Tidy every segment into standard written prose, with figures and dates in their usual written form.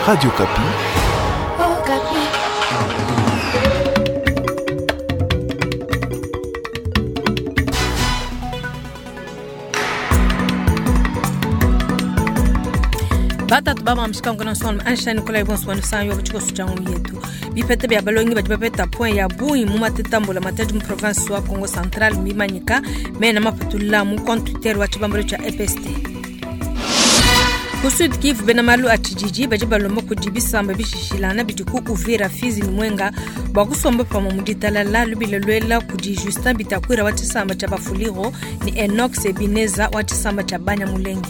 Radio Okapi. Okapi. Batatu ba mshika ngona son Einstein Nicolas bonsoir san yo chiko suchangu yetu bipete bya balongi badi bapeta point ya bungi mu matetambula matadi mu province wa Congo Central mimanyika mena mapatula mu compte Twitter wa chibambalo cha EPST. Ku Sud Kivu bena malu a tshididi badi balomba kudi bisamba bishishilana bidi ku Uvira, Fizi ne Mwenga bua kusomba pamue mu ditalala lubila luela kudi Justin Bitakwira wa tshisamba tshia Bafuliro ne Enoch Sebineza wa tshisamba tshia Banyamulenge.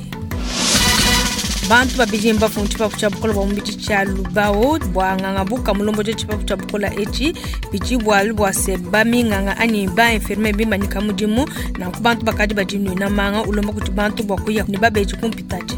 Bantu babidi mbafue mu tshipapu tshia bukole bua mubidi tshia Lubao bua nganga buka mulombo tshia tshipapu tshia bukole etshi bidi bualu bua se baminganga anyi ba infirmier bimanyika mudimu nanku bantu bakadi badinuina manga ulomba kudi bantu bua kuya ne babedi kumpitadi.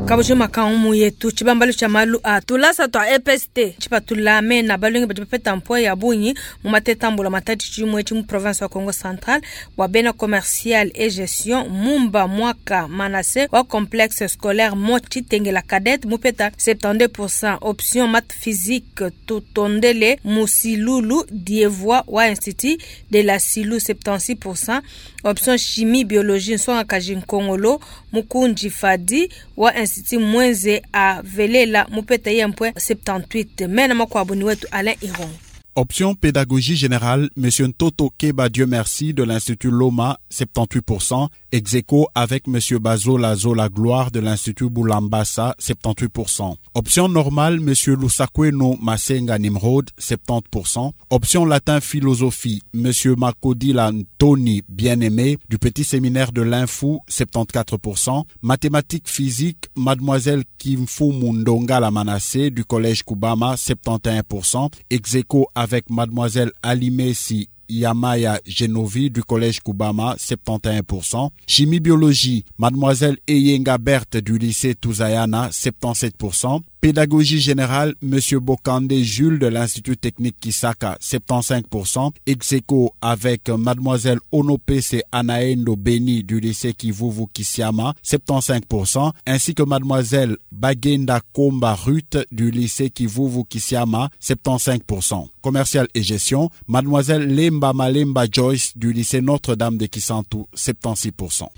Kabujo makangu yetu tshibambalu tshia malu a tulasa twa EPST tshipatula mena balongi badi bapeta mpoa ya bungi mu matetambula matadi tshimue tshi mu province wa Congo Central bua bena commercial et gestion Mumba Mwaka Manase wa complexe scolaire Mo Tshitengela Cadette mupeta 72% option math physique Tutondele Musilulu Dievois wa Institut de la Silu 76% option chimie biologie Nsonga Kaji Nkongolo Mukunji Fadi wa Institut Mwenze a Velela mupeta yempwe 78. Mena makwabo ni wetu Alain Iron. Option pédagogie générale, Monsieur Ntoto Keba Dieu merci de l'Institut Loma, 78%, ex aequo avec Monsieur Bazola Zola Gloire de l'Institut Boulambassa, 78%. Option normale, Monsieur Lusakweno Masenga Nimrod, 70%. Option latin philosophie, Monsieur Makodila Ntoni Bien-Aimé du petit séminaire de l'Infou, 74%. Mathématiques physique, Mademoiselle Kimfu Mundonga Lamanassé du collège Kubama, 71%. Ex aequo avec Mademoiselle Alimesi Yamaya Genovi du collège Kubama, 71%. Chimie biologie, Mademoiselle Eyenga Berthe du lycée Touzayana, 77%. Pédagogie générale, Monsieur Bokande Jules de l'Institut technique Kisaka, 75%. Ex aequo avec Mademoiselle Onopese Anaendo Beni du lycée Kivuvu Kisiama, 75%, ainsi que Mademoiselle Bagenda Komba Ruth du lycée Kivuvu Kisiama, 75%. Commercial et gestion, Mademoiselle Lemba Malemba Joyce du lycée Notre-Dame de Kisantu, 76%.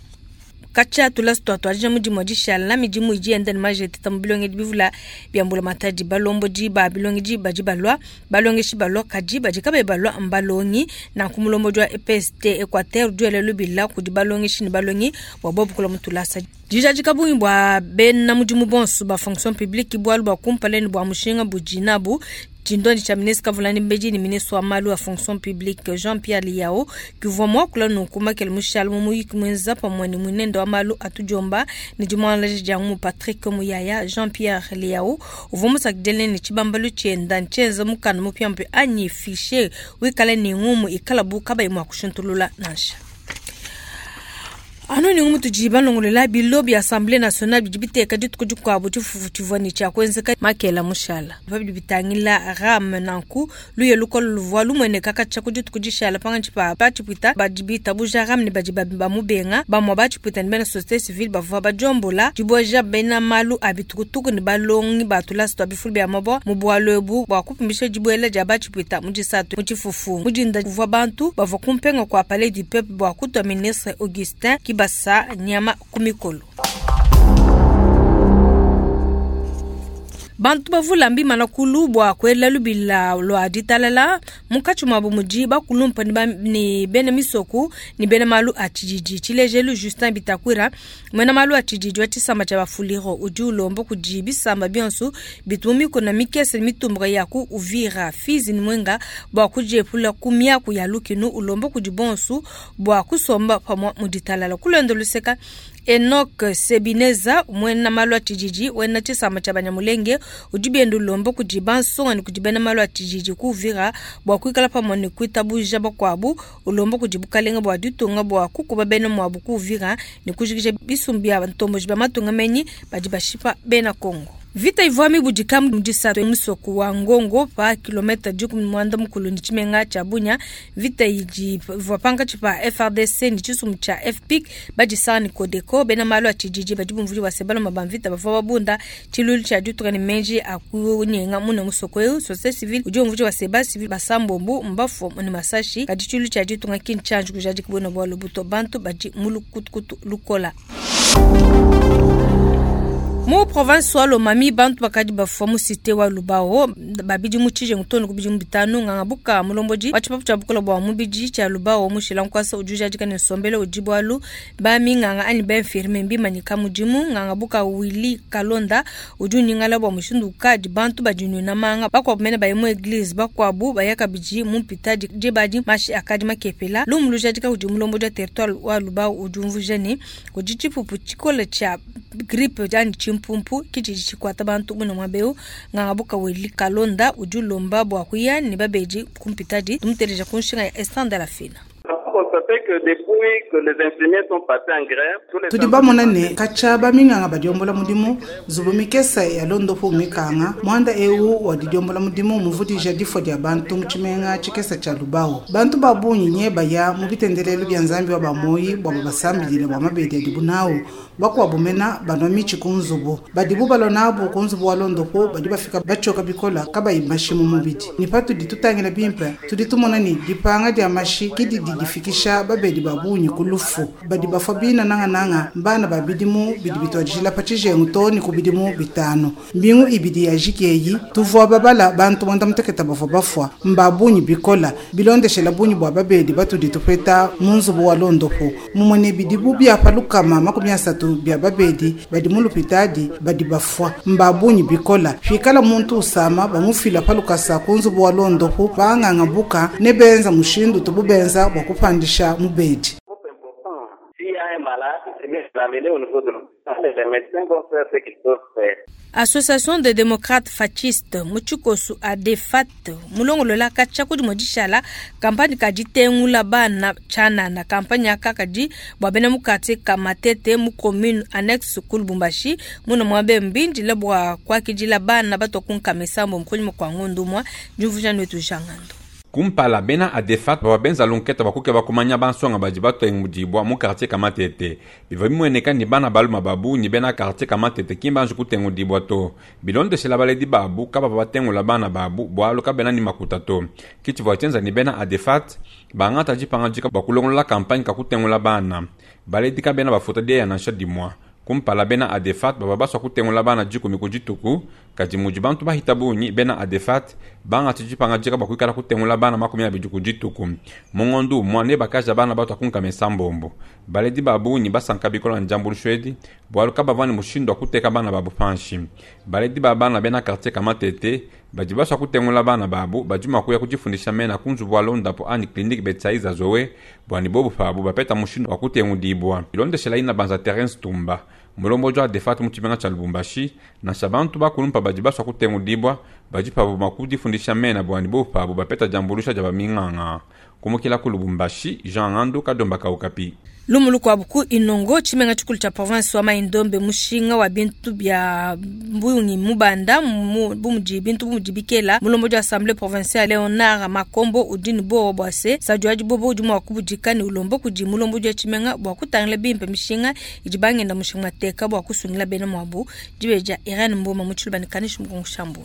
Katshia tulasa tua tuadija mudimu wa dishala midimu idi yenda ne majete mu bilongedi bivula bia mbulamatadi balombodi ba bilongedi badi balua balongeshi balua kadi badi kabayi balua mbalongi nanku mulombodi wa EPST Equateur udi wela lubila kudi balongeshi ne balongi bua bobu kulua mu tulasa. Dijadika bungi bua bena mudimu bonso ba fonction publique bualu bua kumpala ne bua mushinga budi nabu tshindondi tshia ministre Kavulani Mbedi ne ministre wa malu a fonction publique Jean-Pierre Lihau kivua muakula nunku makele mushala mu muyiki muenza pamue ne muinende wa malu a tudiomba ne dimuangalaja dia ngumu Patrick Muyaya. Jean-Pierre Lihau uvua musakidile ne tshibambalu tshienda ntshienza mukanda mupiamupia anyi fichier wikale ne ngumu ikala bu kabayi mua kushintulula nansha. Anu ni ngumu tudi balongolola bilo bia Assemblée nationale bidi biteka dituku dikuabu tshifufu tshivua ne tshia kuenzeka makela mushala. Bidi bitangila RAM nanku luye lukolo luvua lumueneka katshia ku dituku dishala pangatshi pa batshipwita badi bitabuja RAM ne badi bamubenga. Bamue batshipwita ne bena société civile bavua badiombola dibueja bena malu a bitukutuku ne balongi ba tulasa tua bifulu bia mabua mu bualu ebu bua kupumbisha dibuela dia batshipwita mu disatu mu tshifufu. Mu dinda kuvua bantu bavua kumpenga kua Palais du Peuple bua kutua ministre Augustin Kibasa nyama kumikolo. Bantu bavula mbimana kulu bua kuela lubila lua ditalala munkatshi muabu mudi bakulumpa ne bena misoku ne bena malu a tshididi. Tshilejelu Justin Bitakwira muena malu a tshididi wa tshisamba tshia Bafuliro udi ulomba kudi bisamba bionso bitu mu mikuna mikese ne mitumbuka ya ku Uvira, Fizi ne Mwenga bua kudiepula ku miaku ya lukinu, ulomba kudi bonso bua kusomba pamue mu ditalala. Kulonda luseka Enoch Sebineza muena malu a tshididi wena tshisamba tshia Banyamulenge udi bienda ulomba kudi bansonga ne kudi bena malu a tshididi ku Uvira bua kuikala pamue ne kuitabuja bakuabu, ulomba kudi bukalenga bua ditunga bua kukuba bena muabu ku Uvira ne kujikija bisumbu bia bantomboji ba matunga menyi badi bashipa bena Kongo. Mvita ivua mibudika mu disatu musoko wa Ngongo pa kilomita 16 ne tshimenga tshia Bunia. Mvita idi ivua pankatshi pa FARDC ne tshisumbu tshia FPIC badisanga ne Codeco. Bena malu a tshididi badi bumvuija bua se baluma ba mvita bavua babunda tshiluilu tshia ditunga ne meji a kunyenga muna musoko eu. Société civile udi umvuija bua se ba civil basambombo mbafua ne masashi, kadi tshiluilu tshia ditunga ki ntshianji kujadika buena bualu buto. Bantu badi mu lukutukutu lukola. Mu province wa Lomami bantu bakadi bafua mu cité wa Lubao babidi mu tshijengu too ne ku bidimu bitanu. Nganga buka mulombodi wa tshipapu tshia bukola bua mubidi tshia Lubao mushila nkuasa udi ujadika ne nsombelo udi bualu ba minganga anyi ba infirmier mbimanyika mudimu. Nganga buka Willy Kalonda udi unyingala bua mushindu ukadi bantu badinwina manga, bakuabu mene baye mu église, bakuabu baya kabidi mu mpitadi diba adi mashi akadi makepela. Lumu lujadika kudi mulombodi wa territoire wa Lubao udi umvuija ne kudi tshipupu tshikole tshia grippe anyi tshimpumpu kitshidi tshikuata bantu muna muaba eu. Nganga buka Willy Kalonda udi ulomba bua kuya ne babedi ku mpitadi. Tumuteleja ku nshinga ya Estande la Fina. Tudi bamona ne katshia baminganga badiombola mudimu nzubu mikesa ya londopu mikanga muanda eu wa didiombola mudimu muvudija difua dia bantu mu tshimenga tshikesa tshia Lubao. Bantu ba bungi nye baya mu bitendelelu bia Nzambi wa bamoyi bua babasambilile bua mabedi adibu nawu. Bakuabu mena banua mitshi ku nzubu badibu balua nabu ku nzubu wa londopu badi bafika batshioka bikola kabayi mashi mu mubidi. Ne patudi tutangila bimpe tudi tumona ne dipanga dia mashi ke didi difikisha babedi ba bungi ku lufu. Badi bafua bina nangananga mbana ba bidimu bidi bituadijila pa tshijengu too ne ku bidimu bitanu. Mbingu ibidi ya jiki eyi tuvua babala bantu 96 bavua bafua mba bungi bikola bilondeshela bungi bua babedi batudi tupeta mu nzubu wa londopu. Mumue ne bidibu bia pa 30 bia babedi badi mu lupitadi badi bafua mba bungi bikola. Pikala muntu usama bamufila pa lukasa ku nzubu wa londopu banganga buka ne benza mushindu tubu benza bua kupandisha mubedi. Association des démocrates fascistes mu tshikosu ADEFAT mulongolola katshia kudi modishala kampani kaditengula bana tshianana. Kampani aka kadi bua bena mu quartier ka Matete mu commune annexe ku Lubumbashi muna muabe mbindile bua kuakidila bana batua ku nkama isambo mukunyima kua ngondu umue. Diumvuija netu Jangando. Kumpala bena ADEFAT bavua benza lunketa bua kukeba kumanya bansonga badi batengudibua mu quartier ka Matete. Bivua bimueneka ne bana baluma ba bungi bena quartier ka Matete ki mbanji kutengudibua to. Bilondeshela baledi babu kabavua batengula bana babu bualu kabena ne makuta to. Ke tshivua tshienza ne bena ADEFAT bangata dipangadika bua kulongolola kampanye ka kutengula bana. Baledi kabena bafuta dieya nansha dimua. Kumpala bena ADEFAT bavua basua kutengula bana 10 ku dituku, kadi mudi bantu bahita bungi bena ADEFAT bangata dipangadika bua kuikala kutengula bana 20 ku dituku. Mu ngondu umue ne bakaja bana batua ku nkama isambombo. Baledi ba bungi basanka bikola ne diambuluisho edi bualu kabavua ne mushindu wa kuteka bana babu panshi. Baledi ba bana bena quartier ka Matete badi basua kutengula bana babu badi mua kuya kudifundisha mena ku nzubu wa londapo anyi clinique Betsaiza Zoe bua ne bobu pabu bapeta mushindu wa kutengudibua. Bilondeshela ina banza Terence Tumba mulombodi wa ADEFAT mu tshimenga tshia Lubumbashi, nansha bantu bakulumpa badi basua kutengudibua badi pabu mua kudifundisha mena bua ne bobu pabu bapeta diambuluisha dia baminganga. Kumukila ku Lubumbashi, Jean Ngandu Kadomba ka Okapi. Lumu lukuabu ku Inongo tshimenga tshikulu tshia province wa Mai-Ndombe mushinga wa bintu bia bungi mubanda bu mudi bintu bu mudi bikela. Mulombodi wa assemblée provinciale Léonard Makombo udi ne buowa bua se Sadio adi bobo udi mua kubudika ne ulomba kudi mulombodi wa tshimenga bua kutangila bimpe mishinga idi bangenda mushinga mateka bua kusungila bena muabu. Dibeja Irene Mboma mu tshiluba ne Kanishi Mukongo Shambu.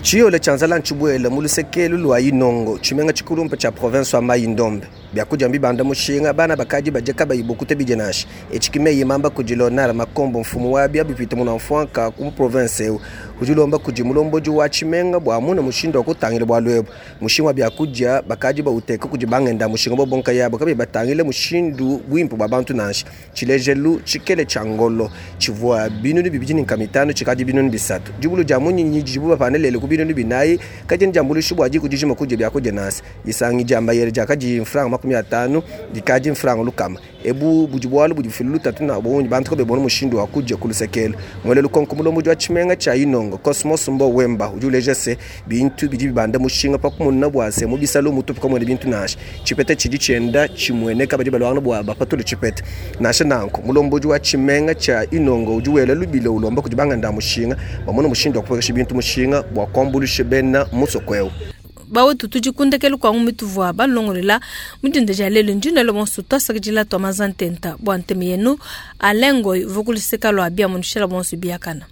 Tshiyole tshia nzala ntshibuele mu lusekelu lua Inongo tshimenga tshikulumpa tshia province wa Mai-Ndombe. Biakudia mbibanda mushinga bana bakadi badie kabayi bukute bidie nansha. Etshi ki meyi mamba kudi Léonard Makombo mfumu wa bia bipite muna mfuanka ku province eu. Udi ulomba kudi mulombodi wa tshimenga bua muna mushindu wa kutangila bualu ebu. Mushinga wa biakudia bakadi bauteka kudi bangenda mushinga bobonka yabo kabayi batangile mushindu buimpe bua bantu nansha. Tshilejelu tshikele tshia ngolo tshivua 205 tshikadi 300. Dibulu dia munyinyi didibu bapanelele ku 40 kadi ndiambuluisha bua diku dijima kudya biakudia nasi. Isangi dia mbayele diakadi mfranga 50 dikadi mfranga 100. Ebu budi bualu budi bufila lutatu na bungi bantu kabebona mushindu wa kudia ku lusekelu. Mwele lukonko mulombodi wa tshimenga tshia Inongo Cosmos Mbo Wemba udi uleja se bintu bidi bibanda mushinga pa kumona bua se mu bisalo mutupu kamuena bintu nansha. Tshipeta tshidi tshienda tshimueneka badi baluangana bua bapatule tshipeta. Nansha nanku mulombodi wa tshimenga tshia Inongo udi wela lubila ulomba kudi banganda mushinga bamona mushindu wa kupuekesha bintu mushinga bua kuambuluisha bena musoko eu. Bawetu tudi ku ndekelu kua ngumi tuvua balongolela mu dinda dia lelu. Ndi nuela bonso tuasakidila tua maza ntenta bua ntema yenu. Alain Ngoy uvua ku luseka lua bia munushila bonso biakana.